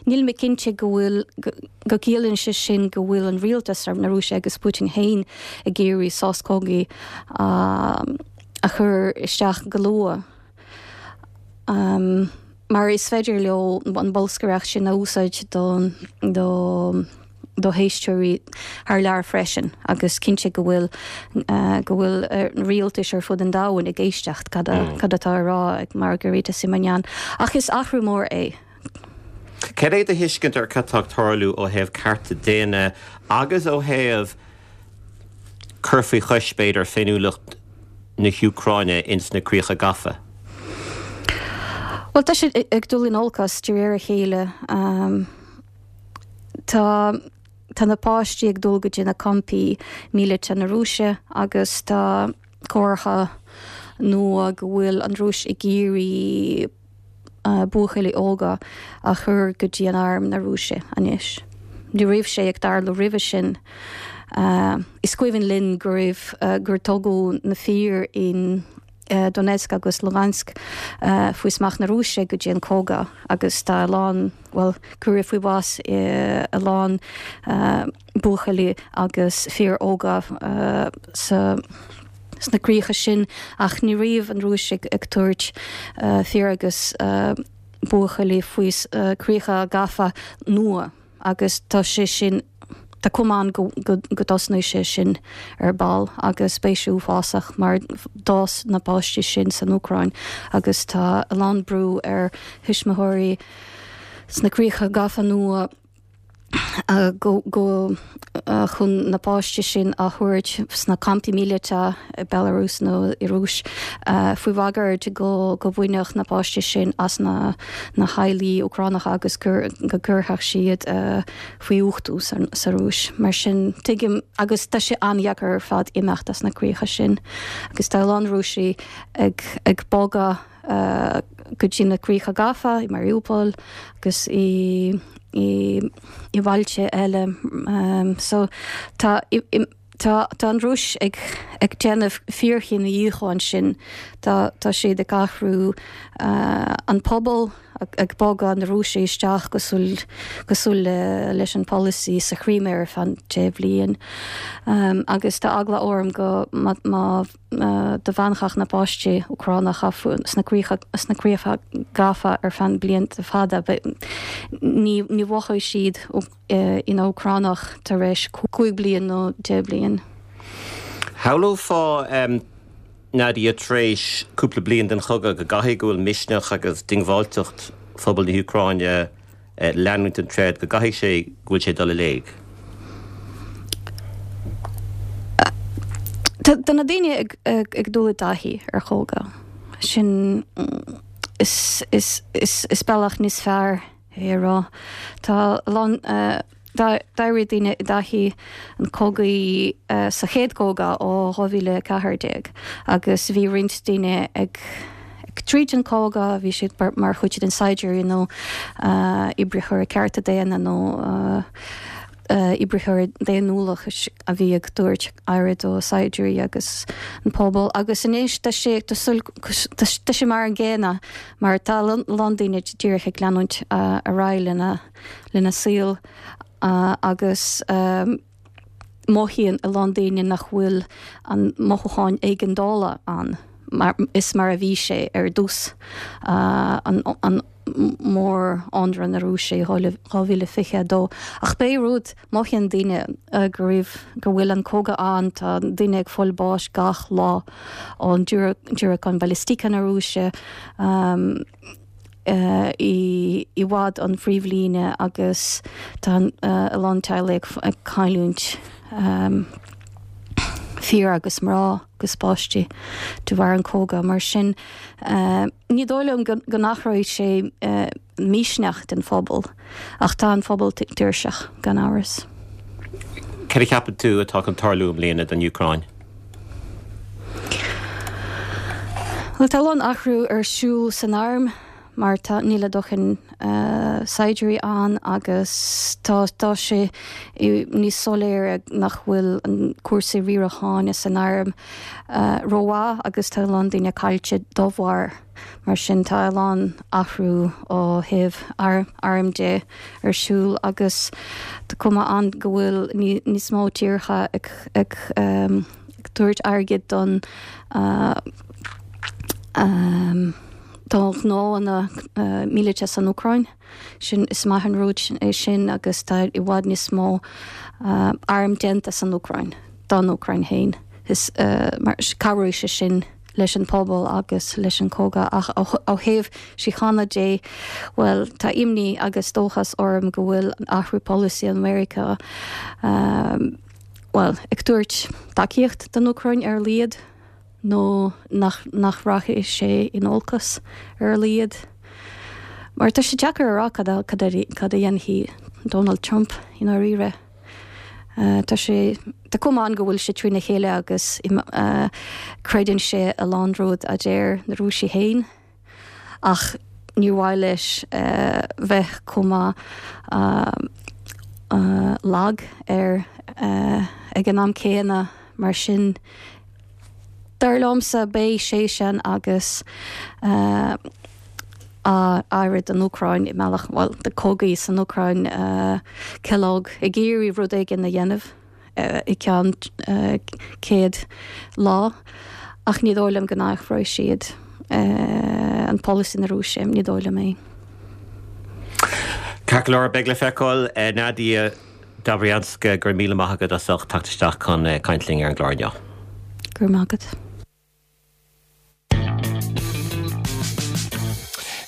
níl mé cinnte go bhfuil, go gciallaíonn sé sin go bhfuil an rialtas na Rúise agus Putin féin ag iarraidh sos cogaidh a chur isteach go luath. Mar is féidir leo an bolscaireacht sin a úsáid do do éisteoirí thar lear freisin agus cinnte go bhfuil go bhfuil rialtais ar fud an domhain ag éisteacht cad cad atá á rá ag Margarita Simonyan. Ach is athrú mór é. Cad é do thuiscint ar cad tá ag tarlú ó thaobh cearta daonna agus ó thaobh cur faoi chois, b'fhéidir, féiniúlacht na hÚcráine ins na críocha gafa? Bhuel, tá sé ag dul in olcas de réir a chéile. Tá tá na páistí ag dul go dtí na campaí míleata na Rúise agus tá comhartha nua go bhfuil an Rúis ag iarraidh buachaillí óga a chur go dtí an arm na Rúise anois. Ní raibh sé ag tarlú roimhe sin. Is cuimhin linn go raibh, gur tugadh na fir in Donetsk agus Lugansk faoi smacht na Rúise go dtí an cogadh agus tá a lán, bhuel, cuireadh faoi bhás a lán buachaillí agus fir óga sa sna críocha sin ach ní raibh an Rúis ag tabhairt fir agus buachaillí faoi críocha gafa nua agus tá sé sin, tá cuma ann go dtosnóidh sé sin ar ball agus beidh sé uafásach mar d'fhás na páistí sin san Úcráin agus tá a lán brú ar thuismitheoirí sna críocha gafa nua. go go chun na páistí sin a thabhairt sna campaí míleata i Belarus nó i Rúis faoi bhagairt go go mbainfeadh na páistí sin as na na theaghlaigh Úcránacha agus gur go gcuirfeadh siad faoi uchtú sa sa Rúis. Mar sin tuigim agus tá sé an-dheacair ar fad imeacht as na críocha sin agus tá a lán Rúisigh ag ag bogadh go dtí na críocha gafa i Mariupol agus i i i bhailte eile. So tá tá tá an Rúis ag ag déanamh fíorchinedhíothú ansin. Tá tá siad ag athrú an pobal, ag bogadh na Rúisigh isteach cosúil cosúil le leis an polasaí sa Chrimé ar feadh 10 bhliain. Agus tá eagla orm go má má dá bhfanfadh na páistí Úcránacha sna críocha gafa ar feadh blianta fada, ní mhothóidh siad ina Úcránach tar éis 5 bliain nó 10 bliain. Shamhlófá, Nadia, tar éis cúpla bliain den chogadh, go gcaithfidh go bhfuil misneach agus diongbháilteacht phobal na hÚcráine leanúint den troid, go gcaithfidh sé go bhfuil sé ag dul i léig. Tá na daoine ag dul i dtaithí ar chogadh. Sin is bealach níos fearr é a rá. Tá a lán. D'éirigh daoine i dtaithí an cogaidh sa chéad cogadh ó 2014 agus bhí roinnt daoine ag tríd an cogadh, bhí siad mar chuid den saighdiúirí nó oibritheoirí cearta daonna nó oibritheoirí daonnúlachais a bhí ag tabhairt aire do saighdiúirí agus an pobal agus anois tá sé tá sé mar an gcéanna mar tá a lán daoine díreach ag leanúint ar aghaidh lena lena saol agus mothaíonn a lán daoine nach bhfuil an mothúcháin éigeandála ann mar is mar a bhí sé ar dtús an an mór-ionradh na Rúise i 2022. Ach pé rud, mothaíonn daoine go raibh go bhfuil an cogadh ann, tá daoine ag fáil báis gach lá ón diúracáin ballistice na Rúise. I bhfad ón phríomhlíne agus tá a lán teaghlaigh ag cailliúint fir agus mná agus páistí de bharr an cogadh. Mar sin ní dóigh liom go n-athróidh sé misneach den phobal ach tá an phobal tuirseach gan amhras. Cad a cheapann tú atá chun tarlú i mbliana don Úcráin? Bhuel, tá a lán athrú ar siúl san arm mar tá, níl a dóthain saighdiúirí ann agus tá, tá sé níos soiléire nach bhfuil an cúrsaí riaracháin san arm rómhaith agus tá a lán daoine caillte dá bharr. Mar sin tá a lán athrú ó thaobh airm de ar siúl agus tá cuma ann go bhfuil níos mó tíortha ag tabhairt airgid don do ghnóanna míleata san Úcráin. Sin is maith an rud é sin agus tá i bhfad níos mó arm déanta san Úcráin don Úcráin féin. Is mar cabhróidh sé sin. leis an pobal agus leis an cogadh ach ó thaobh síochána de, bhuel, tá imní agus dóchas orm go bhfuil athrú polasaí an Mheiriceá, bhuel, ag tabhairt tacaíocht don Úcráin ar a laghad nó nach nach rachaidh sé in olcas ar a laghad. Mar tá sé deacair a rá cad a cad a dhéanfaidh Donald Trump i ndáiríre. Tá sé, tá cuma ann go bhfuil sé trína chéile agus creideann sé a lán rud a deir na Rúisigh féin ach níor mhaith leis bheith chomh maith lag ar ag an am céanna mar sin dar liomsa beidh seisean agus aire don Úcráin i mbealach, bhuel, do cogaí san Úcráin, Kellogg ag iarraidh rud éigin a dhéanamh i gceann 100 lá ach ní dóigh liom go n-athróidh siad an polasaí na Rúise, ní dóigh liom é. Ceart go leor, beidh le feiceáil. Nadia Dobrianska, go raibh míle maith agat as ucht teacht isteach chun caint linn ar an gclár inniu. Go raibh maith agat.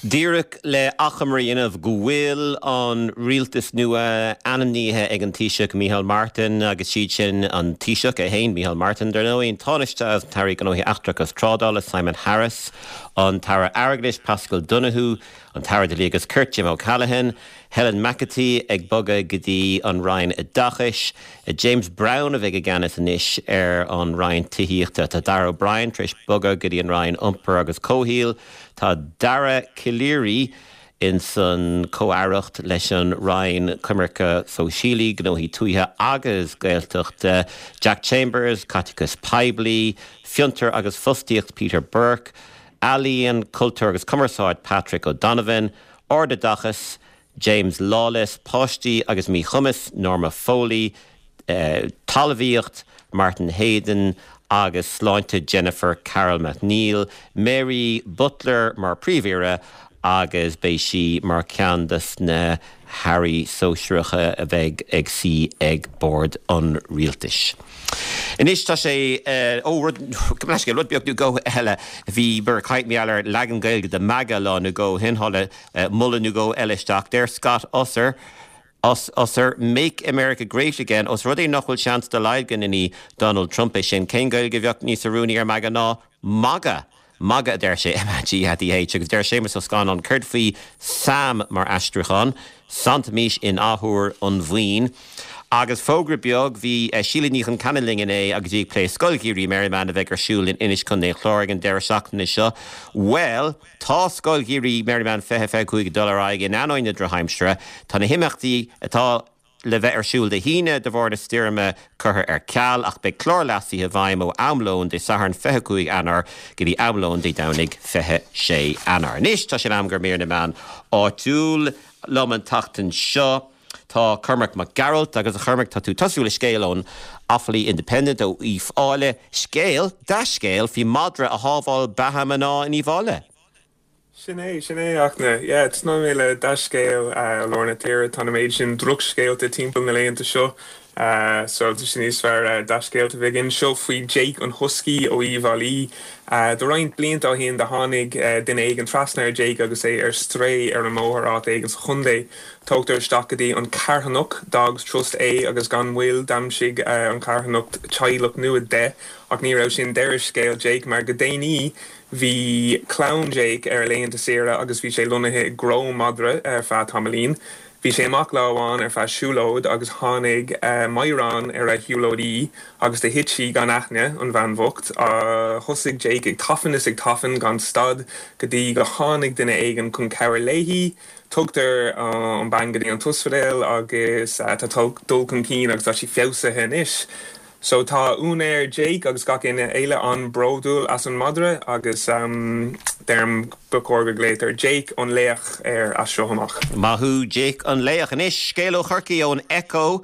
Díreach le achoimre a dhéanamh go bhfuil an rialtas nua ainmnithe ag an Taoiseach Micheál Martin agus siad sin an Taoiseach é féin, Micheál Martin, dar ndóigh, an Tánaiste agus an tAire Gnóthaí Eachtracha agus Trádála Simon Harris, an tAire Airgeadais Paschal Donohoe, an tAire Dlí agus Cirt Jim O'Callaghan, Helen McEntee ag bogadh go dtí an Roinn Oideachais, James Browne a bheidh i gceannas anois ar an Roinn Tithíochta. Tá Darragh O'Brien tar éis bogadh go dtí an Roinn Iompair agus Comhshaoil. Tá Dara Calleary ins an Comh-Aireacht leis an Roinn Coimirce Sóisialaí, Gnóthaí Tuaithe agus Gaeltachta. Jack Chambers, Caiteachas Poiblí, Fiontar agus Fostaíocht Peter Burke, Ealaíon, Cultúr agus Cumarsáid Patrick O'Donovan, Ardoideachas, James Lawless, Páistí agus Míchumas, Norma Foley, Talmhaíocht, Martin Heydon, agus Sláinte, Jennifer Carroll MacNeill, Mary Butler mar Príomh-Aoire agus beidh sí mar cheann de na hairí sóisearacha a bheidh ag suí ag bord an rialtais. Anois tá sé, ó, rud, gabh mo leithscéal, rud beag nó dhó eile, bhíomar ag caint mar gheall ar leagan Gaeilge de MAGA lá nó dhó ó shin, tháinig moladh nó dhó eile isteach. Deir Scott Usser, Us, Usser, Make America Great Again, os rud é nach bhfuil seans dá laghad go ndéanfaidh Donald Trump é sin, cén Gaeilge a bheadh níos oiriúnaí ar MAGA ná MAGA? Magadh, a deir sé, M-A-G-A-D-H, agus deir Séamus Ó Scanláin, céard faoi Sam mar aistriúchán? Santaimis in athuair an mhaoin. Agus fógra beag, bhí Síle Ní Chonceanainn linn inné agus í ag plé Scoil Gheimhridh Merriman a bheidh ar siúl in Inis, Contae an Chláir ag an deireadh seachtaine seo. Bhuel, tá Scoil Gheimhridh Merriman 2025 ag dul ar aghaidh in ainneoin na drochaimsire. Tá na himeachtaí atá le bheith ar siúl Dé hAoine de bharr na stoirme curtha ar ceal ach beidh clár leasaithe i bhfeidhm ó am lóin Dé Sathairn 25 Eanáir go dtí am lóin Dé Domhnaigh 26 Eanáir. Anois tá sé in am do mhír na meán áitiúil. Liom an tseachtain seo tá Cormac Mac Gearailt agus a Chormaic tá tú ag tosú le scéal ón Offaly Independent ó Uíbh Fhailí. Scéal, dea-scéal faoi mhadra a shábháil beatha mná in Uíbh Fhailí. Sin é, sin é, a Fhachtna. Yeah, tosnóidh mé le dea-scéal ó lár na tíre. Tá na méid sin drochscéalta timpeall na laethanta seo, so tá sé níos fearr dea-scéalta a bheith againn. Seo faoi Jake an Husky ó Uíbh Fhailí. Do roinnt blianta ó shin do tháinig duine éigin trasna ar Jake agus é ar strae ar an mbóthar áit éigin sa chontae. Tógtar isteach go dtí an carthanacht Dogs Trust é agus gan mhoill d'aimsigh an charthanacht teaghlach nua de ach ní raibh sin deireadh scéal Jake mar go déanaí Bhí clann Jake ar a laethanta saoire agus bhí sé lonnaithe i gcró madra ar feadh tamaillín. Bhí sé amach lá amháin ar feadh siúlóid agus tháinig meadhrán ar a shiúlóidí agus do thit sí gan aithne, an bhean bhocht. Thosaigh Jake ag tafann is ag tafann gan stad go dtí go tháinig duine éigin chun cabhair léi. Tugtar an bean go dtí an t-ospidéal agus tá dul chun cinn agus tá sí feabhsaithe anois. So tá úinéir Jake agus gach éinne eile an-bhródúil as an madra agus deirim ba chóir go glaotar Jake an Laoch air as seo amach. Maith thú Jake an Laoch. Anois scéal ó Chorcaigh ón Echo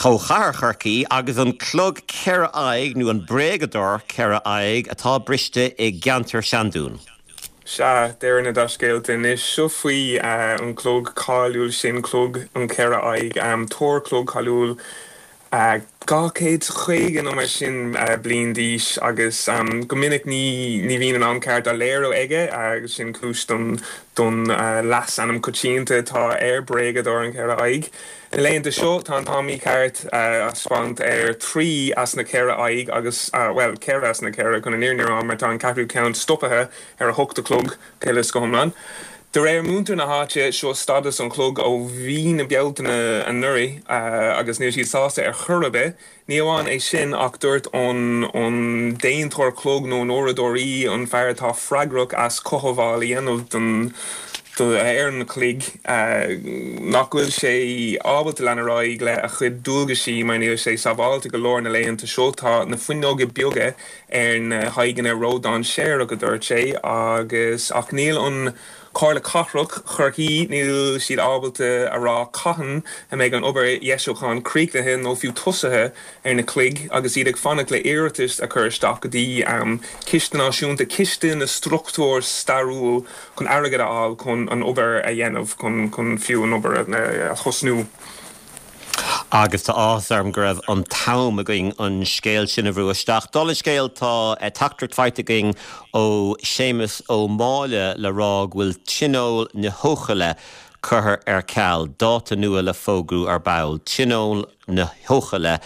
ó chathair Chorcaí agus an clog cheithre aghaidh nó an bréagadóir cheithre aghaidh atá briste i gceantar Seandún. Sea, deireadh na dea-scéalta anois. Seo faoi an clog cáiliúil sin, clog an cheithre aghaidh, túr clog cáiliúil 250 nó mar sin bliain d'aois agus go minic ní bhíonn an am ceart á léiriú aige agus sin cúis don don leasainm coitianta atá air, Bréagadóir an Cheithre Aghaidh. Na laethanta seo tá an t-am mícheart á thaispeáint ar thrí as na ceithre aghaidh agus, bhuel, ceithre as na ceithre chun an fhírinne a rá mar tá an ceathrú ceann stoptha ar a hocht a chlog, go huile is go hiomlán. De réir muintir na háite, seo stádas an chlog ó mhí na Bealtaine anuraidh agus níl siad sásta ar chor ar bith. Ní amháin é sin ach dúirt an an déantóir clog nó an uaireadóirí, an fear atá freagrach as cothabháil a dhéanamh don ar an chloig, nach bhfuil sé ábalta lean ar aghaidh le a chuid dualgaisí mar níl sé sábháilte go leor na laethanta seo. Tá na fuinneoga beaga ar na haghaidheanna ródhainséarach, a dúirt sé, agus ach níl an Comhairle Cathrach Chorcaí, níl siad ábalta a rá cathain a mbeidh an obair dheisiúcháin críochnaithe nó fiú tosaithe ar na cloig agus iad ag fanacht le iarratas a chur isteach go dtí Ciste Náisiúnta, Ciste na Struchtúr Stairiúil chun airgead a fháil chun an obair a dhéanamh, chun fiú an obair a thosnú. Agus tá áthas orm go raibh an t-am againn an scéal sin a bhrú isteach. Dála an scéil, tá teachtaireacht faighte againn ó Séamus Ó Máille le rá go bhfuil Tionól na hEochaille curtha ar ceal, dáta nua le fógrú ar ball. Tionól na hEochaille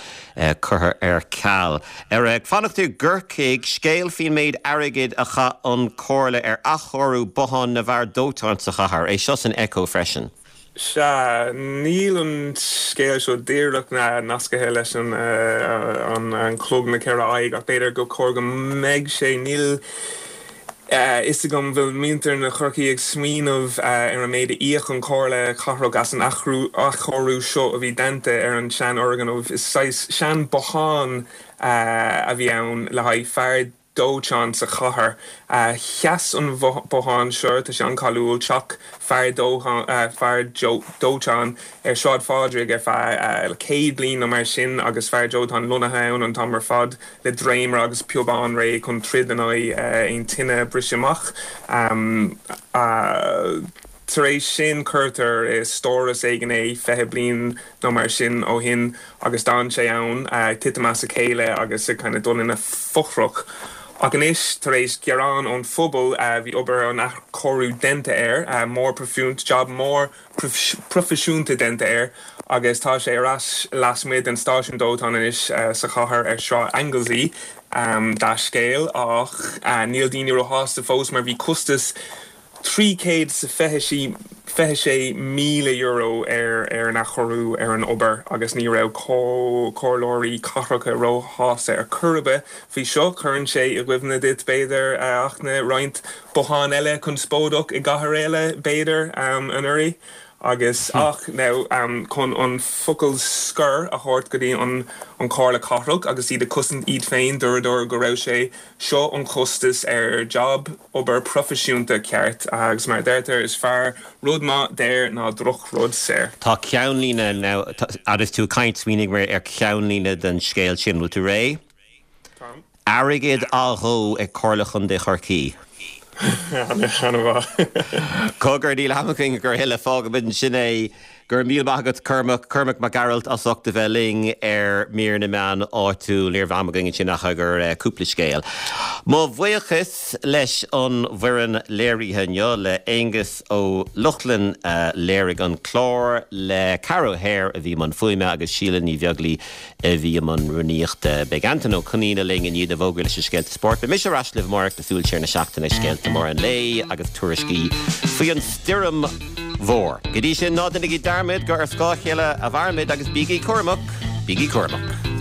curtha ar ceal. Ar ag fanacht i gCorcaigh, scéal faoin méid airgid a chaith an Chomhairle ar athchóiriú bothán na bhfear dóiteáin sa chathair. É seo san Echo freisin. Sea, níl an scéal seo díreach nascaithe leis an an clog na ceithre aghaidh, ach b'fhéidir go chóir go mbeidh sé. Níl a fhios agam bhfuil muintir na Chorcaí ag smaoineamh ar an méid a íoc an Chomhairle Cathrach as an athchóiriú seo a bhí déanta ar an seanfhoirgneamh. Is saghas sean-bothán a bhí ann le haghaidh fear dóiteáin sa chathair. Sheas an bothán seo, tá sé an-cháiliúil, teach fear fear dóiteáin ar Sráid Phádraig ar feadh 100 bliain nó mar sin agus fear dóiteáin lonnaithe ann an t-am ar fad le dréimire agus piobán réidh chun troid in aghaidh aon tine a briseadh amach. Tar éis sin cuirtear i stóras éigin é 20 bliain nó mar sin ó shin agus d'fhan sé ann, ag titim as a chéile agus ag kind of dul ina fothrach. Ach anois, tar éis gearán ón phobal, bhí obair an athchóiriú déanta air, mór job mór proifisiúnta déanta air agus tá sé ar ais lasmuigh den stáisiún dóiteáin anois sa chathair ar Shráid Anglesey. Dea-scéal, ach níl daoine róshásta fós mar bhí costas €326,000 ar ar an athchóiriú ar an obair agus ní raibh comhairleoirí cathracha róshásta ar chor ar bith faoi seo. Cuireann sé i gcuimhne duit, b'fhéidir, a Fhachtna, roinnt bothán eile conspóideach i gcathair eile, b'fhéidir, anuraidh. Agus, ach, now, chun an focal scoir a thabhairt go dtí an an Chomhairle Cathrach agus iad ag cosaint iad féin, dúradar go raibh sé seo an costas ar job, obair proifisiúnta ceart agus mar a deirtear, is fearr rud maith daor ná drochrud saor. Tá ceannlíne, now, agus tú ag caint, smaoinigh mé ar cheannlíne den scéal sin. Bhfuil tú réidh? Táim. Airgead á dhó ag Comhairle Chontae Chorcaí. An-mhaith. Cogar, níl am againn a thuilleadh, fágfaimid ansin é. Go raibh míle maith agat Cormac, Cormac Mac Gearailt as ucht a bheith linn ar Mír na Meán Áitiúil. Ní raibh am againn ansin ach ar cúpla scéal. Mo bhuíochas leis an bhfoireann léirithe inniu, le Aonghus Ó Lochlainn a léirigh an clár, le Ceara O'Hare a bhí i mbun fuaime agus Síle Ní Bheaglaoi a bhí i mbun rúnaíochta. Beidh Antain Ó Conaola linn i ndiaidh na bhfógraí leis na scéalta spóirt. Beidh mise ar ais libh amárach le súil siar na seachtaine, scéalta móra an lae agus tuairiscí faoi an stoirm mhór. Go dtí sin, ná déanaigí dearmad gur ar scáth a chéile a mhairimid agus bígí cúramach, bígí cúramach.